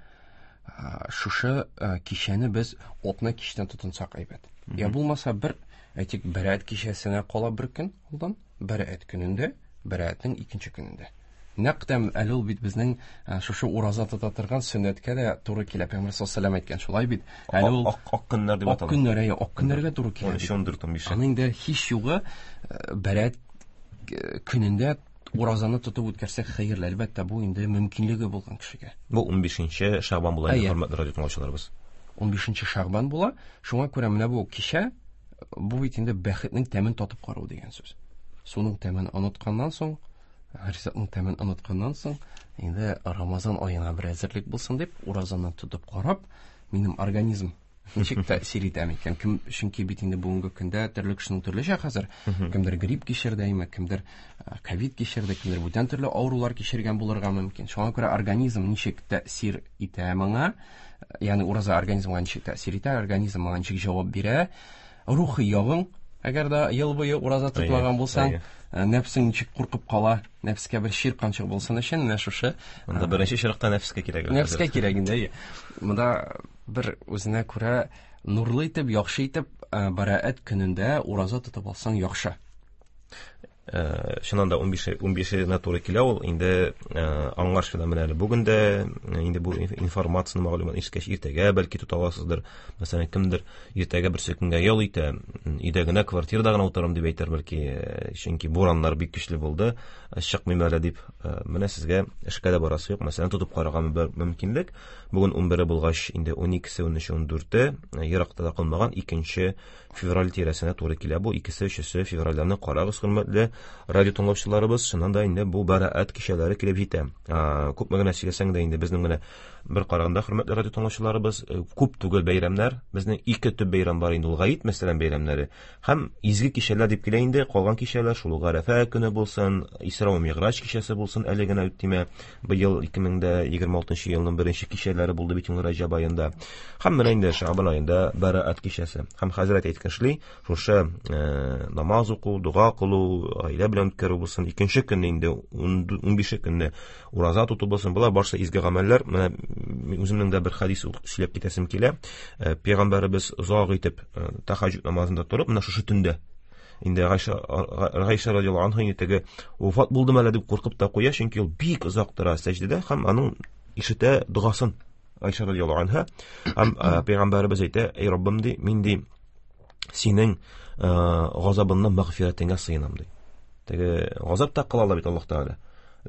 шушы кичәне без атна кичтән тотынсак әйбәт. Я булмаса бер, әйтик, Бәраәт кичәсенә кала бер көн алдан, Бәраәт көнендә, Бәраәтнең икенче көнендә. Нәкъ тә әле ул бит безнең шушы ураза тота торган сөннәткә дә туры килә. Пәйгамбәр саллаллаһу алейһи ва сәлләм әйткән шулай бит. Әле ул ак ак көннәр дип атала. Ак көннәр, әйе, ак көннәргә туры килә. ун өч, ун дүрт, ун биш. Аның инде һич югы Бәраәт көнендә уразаны тотып үткәрсәк хәерле, әлбәттә, бу инде мөмкинлеге булган кешегә. Бу ун бишенче Шәгъбан була инде, хөрмәтле радио тыңлаучыларыбыз. ун бишенче Шәгъбан була. Шуңа күрә менә бу кичә, бу бит инде бәхетнең тәмен татып карау дигән сүз. Суның тәмен онытканнан соң, ризыкның тәмен онытканнан соң, инде Рамазан аена бер әзерлек булсын дип, уразаны тотып карап, минем организм ничек тәэсир итә микән? Кем, чөнки бит инде бүгенге көндә төрле кешенең төрлечә хәзер. Кемдер грипп кичерде, әйме, кемдер ковид кичерде, кемдер бүтән төрле авырулар кичергән булырга мөмкин. Шуңа күрә организм ничек тәэсир итә моңа, ягъни ураза организмга ничек тәэсир итә, организм моңа ничек җавап бирә, рухи ягың, әгәр дә ел буе ураза тотмаган булсаң, нәфсең ничек куркып кала, нәфскә бер чир канчык булсын өчен менә шушы. Монда беренче чиратта нәфскә кирәк. Нәфскә кирәк инде, әйе. Монда бер үзенә күрә нурлы итеп, яхшы итеп Бәраәт көнендә ураза тотып алсаң яхшы. Чыннан да ун бишенә туры килә ул. Инде аңлашыла менә әле бүген дә инде бу информацияне, мәгълүматны ишеткәч, иртәгә бәлки тота аласыздыр. Мәсәлән, кемдер иртәгә берсе көнгә ял итә, өйдә генә, квартирада гына утырам дип әйтер бәлки, чөнки бураннар бик көчле булды, чыкмыйм әле дип. Менә сезгә эшкә дә барасы юк. Мәсәлән, тотып карарга бер мөмкинлек. Бүген ун бере булгач, инде ун икесе, ун өче, ун дүрте еракта да калмаган икенче февраль тирәсенә туры килә бу. Икесе, өчесе февральдән карагыз, хөрмәтле радио тыңлаучыларыбыз. Чыннан да инде бу Бәраәт кичәләре килеп җитә. Күпме генә сөйләсәң дә инде безнең менә бер караганда, хөрмәтле радио тыңлаучыларыбыз, күп түгел бәйрәмнәр. Безнең ике төп бәйрәм бар инде, ул гает мәсәлән бәйрәмнәре һәм изге кичәләр дип килә инде. Калган кичәләр шул Гарәфә көне булсын, Исра ва Миграҗ кичәсе булсын, әле генә үттеме, быел ике мең дә егерме алтынчы елның беренче кичәләре булды бит инде Раҗаб аенда. Һәм менә инде Шәгъбан аенда Бәраәт кичәсе. Һәм хәзрәт әйткәншли, шушы намаз уку, дога кылу, гаилә белән үткәрү булсын, икенче көнне инде ун бише көнне ураза тоту булсын, болар барысы изге гамәлләр. Менә үземнең дә бер хадис сөйләп китәсем килә. Пәйгамбәребез озак итеп тәһәҗҗүд намазында торып, менә шушы төндә инде Гайша Гайша радиаллаһу анха инде теге вафат булдым әле дип куркып та куя, чөнки ул бик озак тора сәҗдәдә һәм аның ишетә догасын Гайша радиаллаһу анха. Һәм пәйгамбәребез әйтә: "Эй Раббым, ди, мин ди синең газабыңнан мәгъфирәтеңә сыенам", ди. Теге газап та кыла ала бит Аллаһ Тәгалә.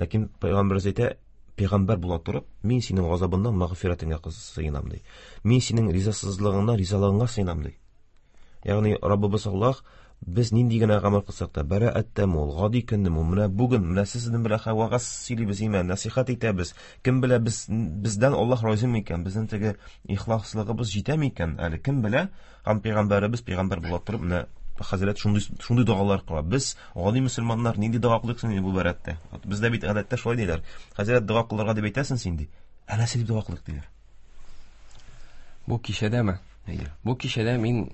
Ләкин пәйгамбәребез әйтә: "Пәйгамбәр була торып, мин синең газабыңнан мәгъфирәтеңә сыенам", ди. "Мин синең ризасызлыгыңнан ризалыгыңа сыенам", ди. Ягъни Раббыбыз Аллаһ без нинди генә гамәл кылсак та, бәраәттәме ул, гади көннеме ул, менә бүген, менә сезнең белән вәгазь сөйлибез, имән, нәсихәт итәбез. Кем белә, без, бездән Аллаһ разый микән, безнең теге ихласлыгыбыз җитә микән әле, кем белә? Һәм пәйгамбәребез пәйгамбәр була торып, менә хәзрәт шундый, шундый догалар кыла. Без гади мөселманнар нинди дога кылыйк соң бу бәраәттә? Бездә бит гадәттә шулай диләр. Хәзрәт, дога кылырга дип әйтәсең син, ди. Ә нәрсә дип дога кылыйк диләр? Бу кичәдәме? Әйе. Бу кичәдә мин,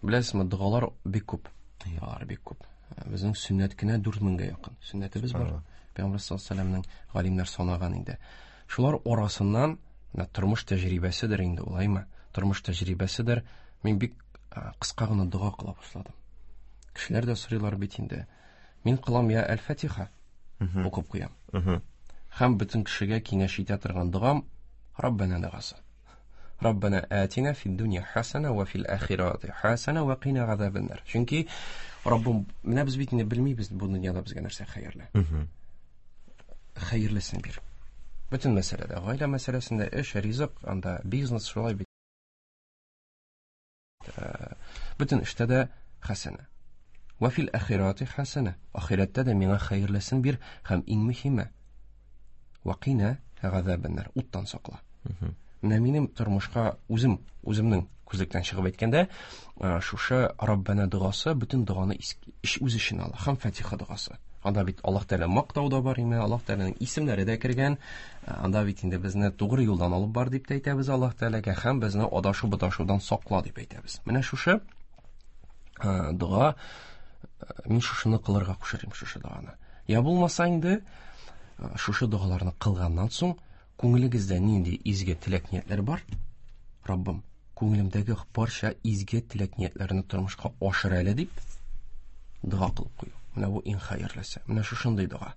беләсезме, догалар бик күп. Догалар бик күп. Безнең сөннәт кенә дүрт меңгә якын. Сөннәтебез бар. Пәйгамбәр саллаллаһу алейһи ва сәлләмнең галимнәр санаган инде. Шулар арасыннан менә тормыш тәҗрибәседер инде, улаймы? Тормыш тәҗрибәседер. Мин бик кыска гына дога кыла башладым. Кешеләр дә сорыйлар бит инде. Мин кылам я Әл-Фатиха укып куям. Һәм бөтен кешегә киңәш итә торган догам Раббана догасы. Раббана атина фид дунья хасана ва фил ахирати хасана ва кина газабаннар. Чөнки Раббым, менә без бит инде белмибез бу дөньяда безгә нәрсә хәерле. Хәерлесен бир. Бөтен мәсьәләдә, гаилә мәсьәләсендә, эш, ризык, анда бизнес шулай бит. Бөтен эштә дә хасана. Ва фил ахирати хасана. Ахирәттә дә миңа хәерлесен бир һәм иң мөһиме ва кина газабаннар. Уттан сакла. Менә минем тормышка үзем, үземнең күзлектән чыгып әйткәндә, шушы Раббана догасы бөтен доганы үз эченә ала. Һәм Фатиха догасы. Анда бит Аллаһ Тәгалә мактау да бар име, Аллаһ Тәгаләнең исемнәре дә кергән. Анда бит инде безне тугры юлдан алып бар дип тә әйтәбез Аллаһ Тәгаләгә, һәм безне адашу буташудан сакла дип әйтәбез. Менә шушы дога, мин шушыны кылырга кушырым, шушы доганы. Я булмаса инде шушы догаларны кылганнан соң күңелегездә нинди изге теләк ниятләр бар? Раббым, күңелемдәге барча изге теләк ниятләрне тормышка ашыр әле дип дога кылып кую. Менә бу иң хәерлесе. Менә шушындый дога.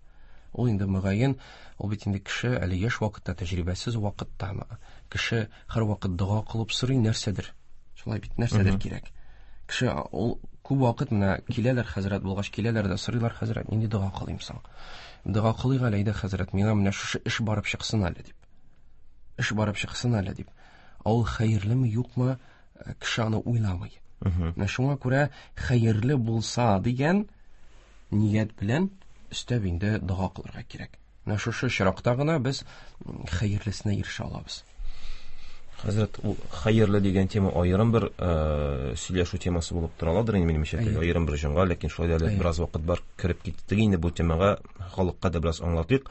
Ул инде мөгаен, ул бит инде кеше әле яшь вакытта, тәҗрибәсез вакытта кеше һәрвакыт дога кылып сорый нәрсәдер. Шулай бит, нәрсәдер кирәк. Кеше ул күп вакыт менә киләләр хәзрәт булгач киләләр дә сорыйлар, хәзрәт, нинди дога кылыйм соң? Дога кылыйк әле, әйдә хәзрәт, миңа менә шушы эш барып чыксын әле дип. Эш барып чыксын әле дип. Ә ул хәерлеме, юкмы, кеше аны уйламый. Менә шуңа күрә хәерле булса дигән ният белән өстәп инде дога кылырга кирәк. Менә шушы очракта гына без хәерлесенә ирешә алабыз. Хәзрәт, ул хәерле дигән тема аерым бер сөйләшү темасы булып тора аладыр инде минемчә, аерым бер җомга, ләкин шулай да әле бераз вакыт бар, кереп киттек инде бу темага, халыкка да бераз аңлатыйк.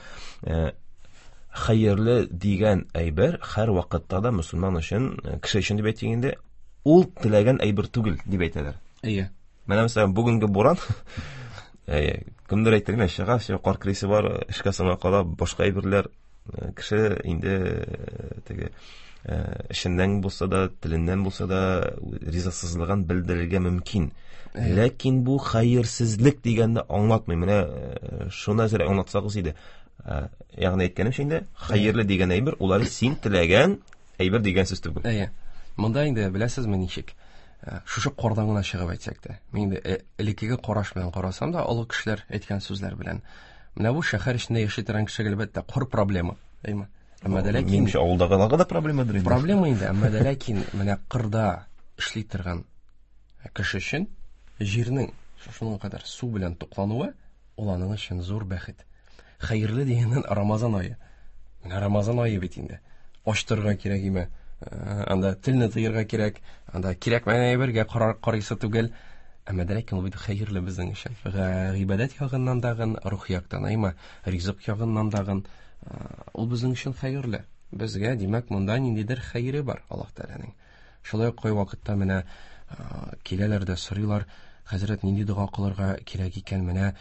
Хәерле дигән әйбер һәр вакытта да мөселман өчен, кеше өчен дип әйтик инде, ул теләгән әйбер түгел дип әйтәләр. Әйе. Менә мәсәлән, бүгенге буран, әйе, кемдер әйтер генә, чыга, все, кар крисе бар, эшкә соңга кала, башка әйберләр, кеше инде теге эшеннән булса да, теленнән булса да ризасызлыгын белдерергә мөмкин. Ләкин бу хәерсезлек дигәнне аңлатмый. Менә шуны әзрәк аңлатсагыз иде. Ягъни әйткәнемчә инде, хәерле дигән әйбер, улар син теләгән әйбер дигән сүз түгел. Әйе. Монда инде беләсезме ничек? Шушы кардан гына чыгып әйтсәк тә, мин инде элеккеге караш белән карасам да, олы кешеләр әйткән сүзләр белән. Менә бу шәһәр эчендә яши торган кешегә әлбәттә кар проблема, әйме? Әмма дә ләкин минемчә авылдагыларга да проблемадыр инде. Проблема инде, әмма дә ләкин менә кырда эшли торган кеше өчен җирнең шуның кадәр су белән туклануы ул аның өчен зур бәхет. Хәерле дигәннән Рамазан ае. Менә Рамазан ае бит инде. Ачтырга кирәк име? Анда телне тыярга кирәк, анда кирәкмәгән әйбергә карыйсы түгел. Әмма дә ләкин ул бит хәерле безнең өчен. Гыйбадәт ягыннан дагын, рух яктан, әйме, ризык ягыннан дагын ул безнең өчен хәерле. Безгә, димәк, монда ниндидер хәере бар Аллаһ Тәгаләнең. Шулай ук кайвакытта менә киләләр дә сорыйлар, хәзрәт, нинди дога кылырга кирәк икән, менә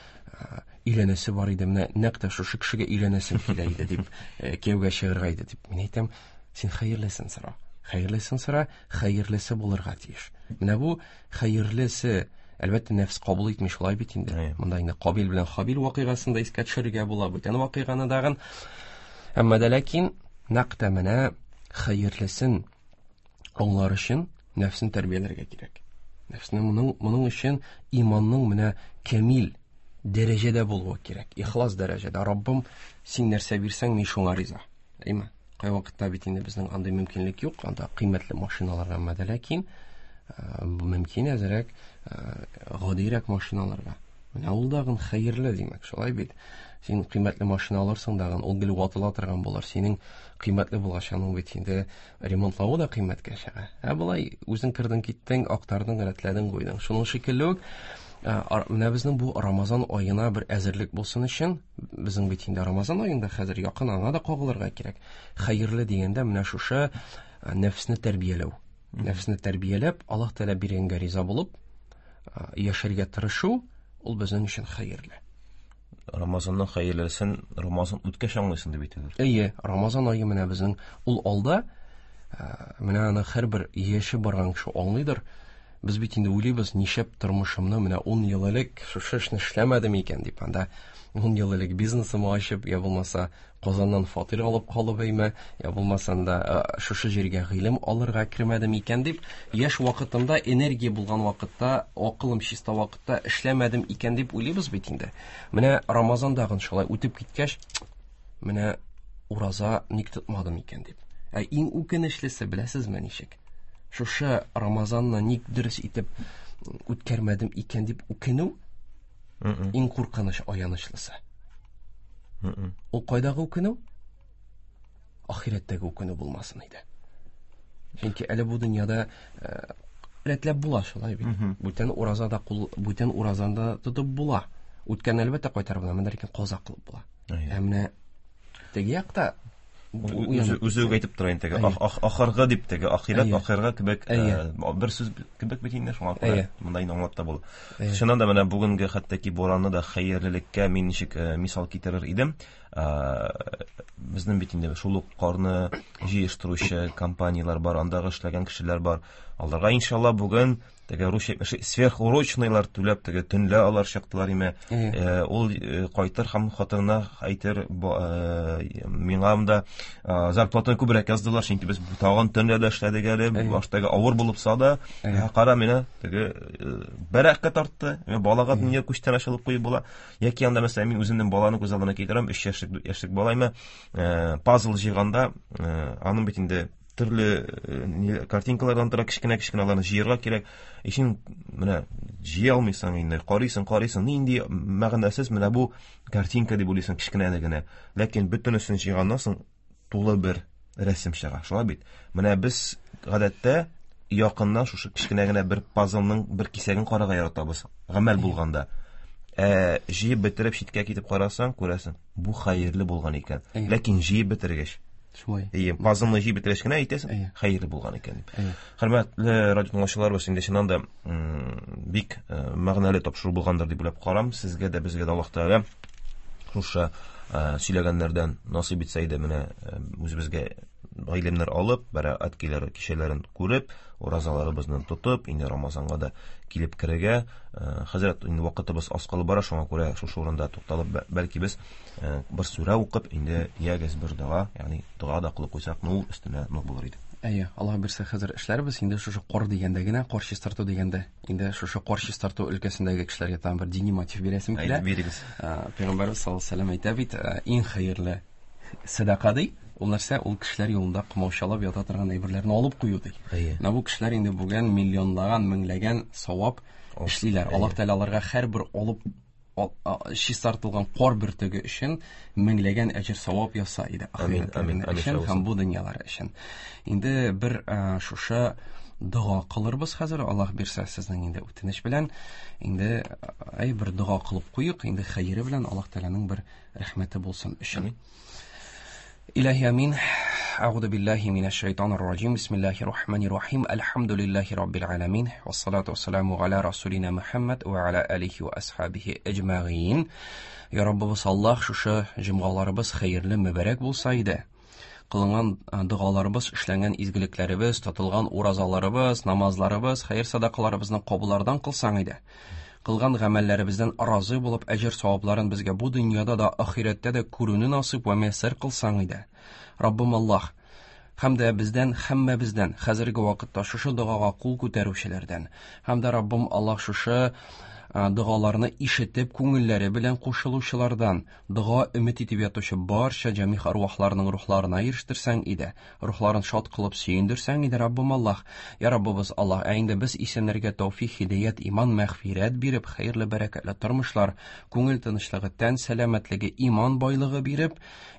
өйләнәсе бар иде, менә нәкъ тә шушы кешегә өйләнәсем килә иде дип, кияүгә чыгарга иде дип. Мин әйтәм, син хәерлесен сора. Хәерлесен сора, хәерлесе булырга тиеш. Менә бу хәерлесе, әлбәттә, нәфс кабул итми шулай бит инде. Монда инде Кабил белән Хабил вакыйгасын да искә төшерергә була, бүтән вакыйганы дагын. Әмма дә ләкин нәкъ тә менә хәерлесен аңлар өчен нәфсен тәрбияләргә кирәк. Нәфсне моның, моның өчен иманның менә камил дәрәҗәдә булуы кирәк. Ихлас дәрәҗәдә. Раббым, син нәрсә бирсәң, мин шуңа риза. Әйме? Кайвакытта бит инде безнең андый мөмкинлек юк, анда кыйммәтле машиналарга, әмма дә ләкин мөмкин әзрәк гадирәк машиналарга. Менә ул дагын хәерле димәк, шулай бит. Син кыйммәтле машина алырсың дагын, ул гел ватыла торган булыр. Синең кыйммәтле булгач, аның бит инде ремонтлавы да кыйммәткә чыга. Ә болай үзең кердең, киттең, актардың, рәтләдең, куйдың. Шуның шикелле үк, менә безнең бу Рамазан аена бер әзерлек булсын өчен, безнең бит инде Рамазан аенда хәзер якын, аңа да кагылырга кирәк. Хәерле дигәндә менә шушы нәфсне тәрбияләү. Нәфсне тәрбияләп, Аллаһ Тәгалә биргәнгә риза булып, яшәргә тырышу, ул безнең өчен хәерле. Рамазанның хәерлесен Рамазан үткәч аңлыйсың дип әйтәләр. Әйе, Рамазан ае менә безнең ул алда, менә аны һәрбер яше барган кеше аңлыйдыр. Без бит инде уйлыйбыз, нишләп тормышымны менә ун ел элек шушы эшне эшләмәдем икән дип, анда ун ел элек бизнесымны ачып, я булмаса Казаннан фатир алып калып әйме, я булмаса анда шушы җиргә гыйлем алырга кермәдем икән дип, яшь вакытымда, энергия булган вакытта, акылым чиста вакытта эшләмәдем икән дип уйлыйбыз бит инде. Менә Рамазан дагын шулай үтеп киткәч, менә ураза ник тотмадым икән дип. Ә иң үкенечлесе беләсезме ничек? Шушы Рамазанны ник дөрес итеп үткәрмәдем икән дип үкенү иң куркыныч, аянычлысы. Ул кайдагы үкенү? Ахирәттәге үкенү булмасын иде. Чөнки әле бу дөньяда рәтләп була шулай бит. Бүтән уразада кул, бүтән уразанда тотып була. Үткән әлбәттә кайтарып була, менә ләкин каза кылып була. Ә менә теге якта үзе үзе үк әйтеп тора инде, ахыргы дип теге ахирәт, ахыргы кебек бер сүз кебек бит инде, шуңа күрә монда инде аңлап та була. Чыннан да менә бүгенге хәтта ки буранны да хәерлелеккә мин ничек мисал китерер идем. Безнең бит инде шул ук карны җыештыручы компанияләр бар, андагы эшләгән кешеләр бар. Аларга иншалла бүген теге русча әйтмешли сверхурочныйлар түләп теге төнлә алар чыктылар име. Ул кайтыр һәм хатынына әйтер, миңа монда зарплатаны күбрәк яздылар, чөнки без тагын төнлә дә эшләдек әле, баштагы авыр булып да, кара менә теге бәрәккә тартты, балага дөнья күчтән алып куеп була. Яки анда мәсәлән мин үземнең баланы күз алдына китерәм, өч яшьлек, дүрт яшьлек балаймы, пазл җыйганда, аның бит инде төрле картинкалардан тора, кечкенә-кечкенә аларны җыярга кирәк. Ишин менә җыя алмыйсың инде, карыйсың, карыйсың, нинди мәгънәсез менә бу картинка дип уйлыйсың кечкенә генә. Ләкин бөтенесен җыйганнан соң тулы бер рәсем чыга. Шулай бит. Менә без гадәттә якыннан шушы кечкенә генә бер пазлның бер кисәген карарга яратабыз, гамәл булганда. Ә җыеп бетереп читкә китеп карасаң, күрәсең, бу хәерле булган икән. Ләкин җыеп бетергәч, шулай. Әйе, пазлны җыеп бетергәч кенә әйтәсең, хәерле булган икән дип. Хөрмәтле радио тыңлаучыларыбыз, инде чыннан да бик мәгънәле тапшыру булгандыр дип уйлап карам. Сезгә дә, безгә дә Аллаһ Тәгалә шушы сөйләгәннәрдән насыйп итсә иде, менә үзебезгә гыйлемнәр алып, бәрәкәт киләр кичәләрен күреп, уразаларыбызны тотып, инде Рамазанга да килеп керергә. Хәзрәт, инде вакытыбыз аз калып бара, шуңа күрә шушы урында тукталып, бәлки без бер сүрә укып, инде ягез бер дога, ягъни дога да кылып куйсак, нур өстенә нур булыр иде. Әйе, Аллаһ бирсә хәзер эшләрбез. Инде шушы кар дигәндә генә, кар чистарту дигәндә, инде шушы кар чистарту өлкәсендәге кешеләргә тагын бер дини мотив бирәсем килә. Әйдә, бирегез. Пәйгамбәрбез саллаллаһу алейһи ва сәлләм әйтә бит, иң хәерле садака ди, ул нәрсә, ул кешеләр юлында комаучалап ята торган әйберләрне алып кую ди. Менә бу кешеләр инде бүген миллионлаган, меңләгән савап эшлиләр. Аллаһ Тәгалә аларга һәрбер алып чистартылган кар бөртеге өчен меңләгән әҗер савап яса иде. Амин, амин, өчен һәм бу дөньялар өчен. Инде бер шушы дога кылырбыз хәзер, Аллаһ бирсә сезнең инде үтенеч белән. Инде әй бер дога кылып куйык, инде хәере белән Аллаһ Тәгаләнең бер рәхмәте булсын өчен. Илаһи амин. Әгъузу биллаһи минәш шайтанир раҗим. Бисмиллаһир рахманир рахим. Әлхәмдүлиллаһи раббил аламин. Вассалату вассаламу аля расулина Мухаммад ва аля алихи ва асхабихи әҗмәгыйн. Я Раббыбыз Аллаһ, шушы җомгаларыбыз хәерле, мөбарәк булса иде. Кылынган догаларыбыз, эшләнгән изгелекләребез, тотылган уразаларыбыз, намазларыбыз, хәер садакаларыбызны кабуллардан кылсаң иде. Кылган гамәлләребездән разый булып, әҗер савапларын безгә бу дөньяда да, ахирәттә дә күрүне насыйп вә мияссәр кылсаң иде. Раббым Аллаһ, һәм дә бездән, һәммәбездән, хәзерге вакытта шушы догага кул күтәрүчеләрдән, һәм дә Раббым Аллаһ шушы догаларны ишетеп, күңелләре белән кушылучылардан, дога өмет итеп ятучы барча җәмигъ арвахларның рухларына ирештерсәң иде, рухларын шат кылып сөендерсәң иде, Раббым Аллаһ. Я Раббыбыз Аллаһ, ә инде без исәннәргә тәүфик, һидаят, иман, мәгъфирәт биреп, хәерле, бәрәкәтле тормышлар, күңел тынычлыгы, тән сәламәтлеге, иман байлыгы биреп,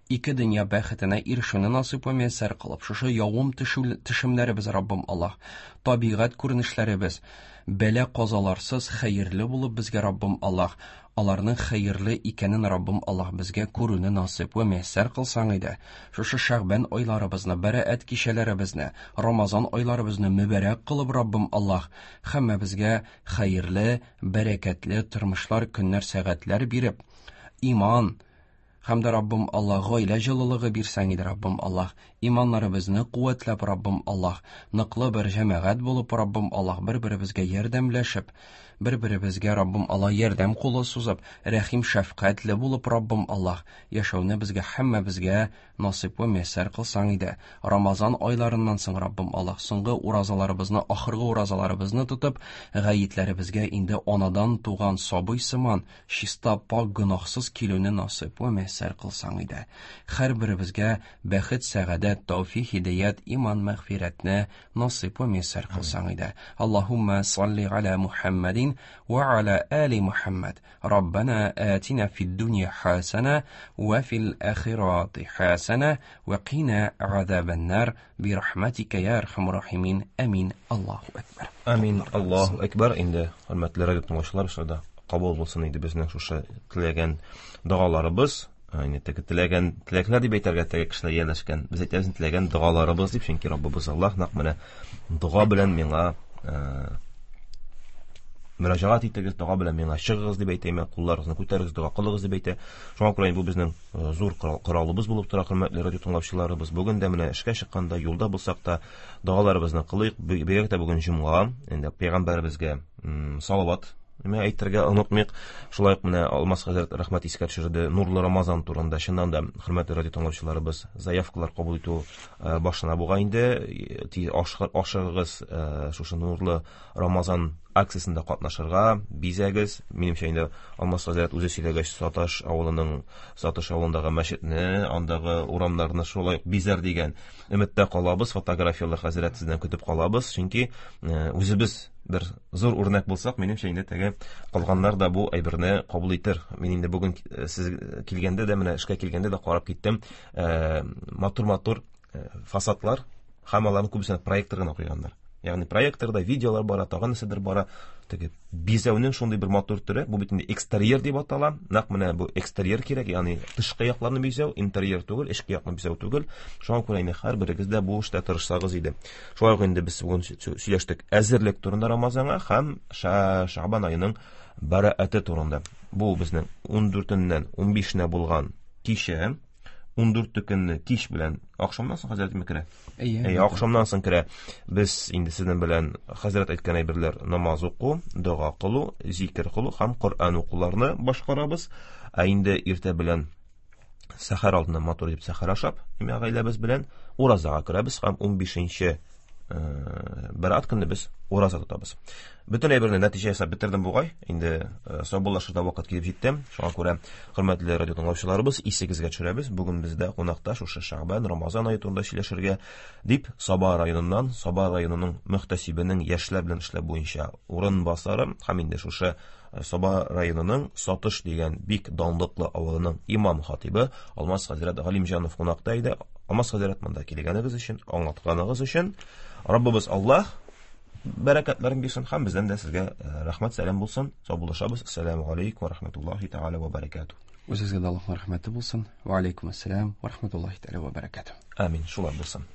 ике дөнья бәхетенә ирешүне насыйп вә мияссәр кылып, шушы явым төшемнәребез, Раббым Аллаһ, табигать күренешләребез, бәла казаларсыз хәерле булып безгә, Раббым Аллаһ, аларның хәерле икәнен Раббым Аллаһ безгә күрүне насыйп вә мияссәр кылсаң иде. Шушы Шәгъбән айларыбызны, бәрәәт кичәләребезне, Рамазан айларыбызны мөбарәк кылып, Раббым Аллаһ, һәммәбезгә хәерле, бәрәкәтле тормышлар, көннәр, сәгатьләр биреп, иман һәм дә Раббым Аллаһ гаилә җылылыгы бирсәң иде, Раббым Аллаһ, иманнарыбызны куәтләп, Раббым Аллаһ, ныклы бер җәмәгать булып, Раббым Аллаһ, бер-беребезгә ярдәмләшеп, бер-беребезгә Раббым Аллаһ ярдәм кулы сузып, рәхим шәфкатьле булып, Раббым Аллаһ, яшәүне безгә һәммәбезгә насыйп вә мияссәр кылсаң иде. Рамазан айларыннан соң, Раббым Аллаһ, соңгы уразаларыбызны, ахыргы уразаларыбызны тотып, гаетләребезгә инде анадан туган сабый сыман, чиста, пак, гөнаһсыз килүне насыйп вә мияссәр кылсаң иде. Һәрберебезгә бәхет, сәгадәт, Мәдәд, тәүфик, һидаят, иман, мәгъфирәтне насыйп вә мияссәр кылсаң иде. Аллаһумма салли аля Мухаммадин ва аля али Мухаммад. Раббана атина фид дунья хасана ва фил ахирати хасана ва қина азабан-нар би рахматика я архамар рахимин. Амин. Аллаһу акбар. Амин. Аллаһу акбар. Инде хөрмәтле радио тыңлаучылар, шунда кабул булсын иде безнең шушы теләгән догаларыбыз. Инде теге теләгән теләкләр дип әйтергә теге кешеләр ияләшкән. Без әйтәбез теләгән догаларыбыз дип, чөнки Раббыбыз Аллаһ нәкъ менә дога белән миңа мөрәҗәгать итегез, дога белән миңа чыгыгыз дип әйтә, кулларыгызны күтәрегез, дога кылыгыз дип әйтә. Шуңа күрә бу безнең зур коралыбыз булып тора, хөрмәтле радио тыңлаучыларыбыз. Бүген дә менә эшкә чыкканда, юлда булсак та догаларыбызны кылыйк. Бигрәк тә бүген җомга, инде пәйгамбәребезгә салават Менә әйтергә онытмыйк. Шулай ук менә Алмаз хәзрәт рәхмәт искә төшерде Нурлы Рамазан турында. Чыннан да, хөрмәтле радио тыңлаучыларыбыз, заявкалар кабул итү башлана бугай инде. Тиз ашыгыгыз шушы Нурлы Рамазан акциясендә катнашырга, бизәгез. Минемчә инде Алмаз хәзрәт үзе сөйләгәч, Саташ авылының, Саташ авылындагы мәчетне, андагы урамнарны шулай ук бизәр дигән өметтә калабыз. Фотографияләр хәзрәт сездән көтеп калабыз, чөнки үзебез бер зур үрнәк булсак, минемчә инде теге калганнар да бу әйберне кабул итер. Мин инде бүген сез килгәндә дә, менә эшкә килгәндә дә карап киттем. Матур-матур фасадлар һәм аларның күбесен проектор гына куйганнар. Ягъни проекторда видеолар бара, тагын нәрсәдер бара. Теге бизәүнең шундый бер матур төре, бу бит инде экстерьер дип атала. Нәкъ менә бу экстерьер кирәк, ягъни тышкы якларны бизәү, интерьер түгел, эчке якны бизәү түгел. Шуңа күрә инде һәрберегез дә бу эштә тырышсагыз иде. Шулай ук инде без бүген сөйләштек әзерлек турында Рамазанга һәм Шәгъбан аеның бәрәәте турында. Бу безнең ун дүртеннән ун бишенә булган кичә, ун дүрте көнне кич белән ахшамнан соң хәзрәтме керә? Әйе, ахшамнан соң керә. Без инде сезнең белән хәзрәт әйткән әйберләр: намаз уку, дога кылу, зикер кылу һәм Коръән укуларны башкарабыз. Ә инде иртә белән сәхәр алдыннан матур итеп сәхәр ашап, имә гаиләбез белән уразага керәбез һәм ун бишенче бәраат көнне без ураза тотабыз. Бөтен әйберне нәтиҗә ясап бетердем бугай. Инде саубуллашырга вакыт килеп җитте. Шуңа күрә, хөрмәтле радио тыңлаучыларыбыз, исегезгә төшерәбез. Бүген бездә кунакта шушы Шәгъбан, Рамазан ае турында сөйләшергә дип Саба районыннан, Саба районының мөхтәсибенең яшьләр белән эшләү буенча урынбасары һәм инде шушы Саба районының Сатыш дигән бик данлыклы авылының имам хатибы Алмаз хәзрәт Галимҗанов кунакта иде. Алмаз хәзрәт, монда килгәнегез өчен, аңлатканыгыз өчен Раббыбыз Аллаһ бәрәкәтләрен бирсен һәм бездән дә сезгә рәхмәт, сәлам булсын. Саубуллашабыз. Ассаламу алейкум ва рахматуллахи тааля ва баракатуһ. Үзегезгә дә Аллаһның рәхмәте булсын. Ва алейкум ассалам ва рахматуллахи тааля ва баракатуһ. Амин. Шулай булсын.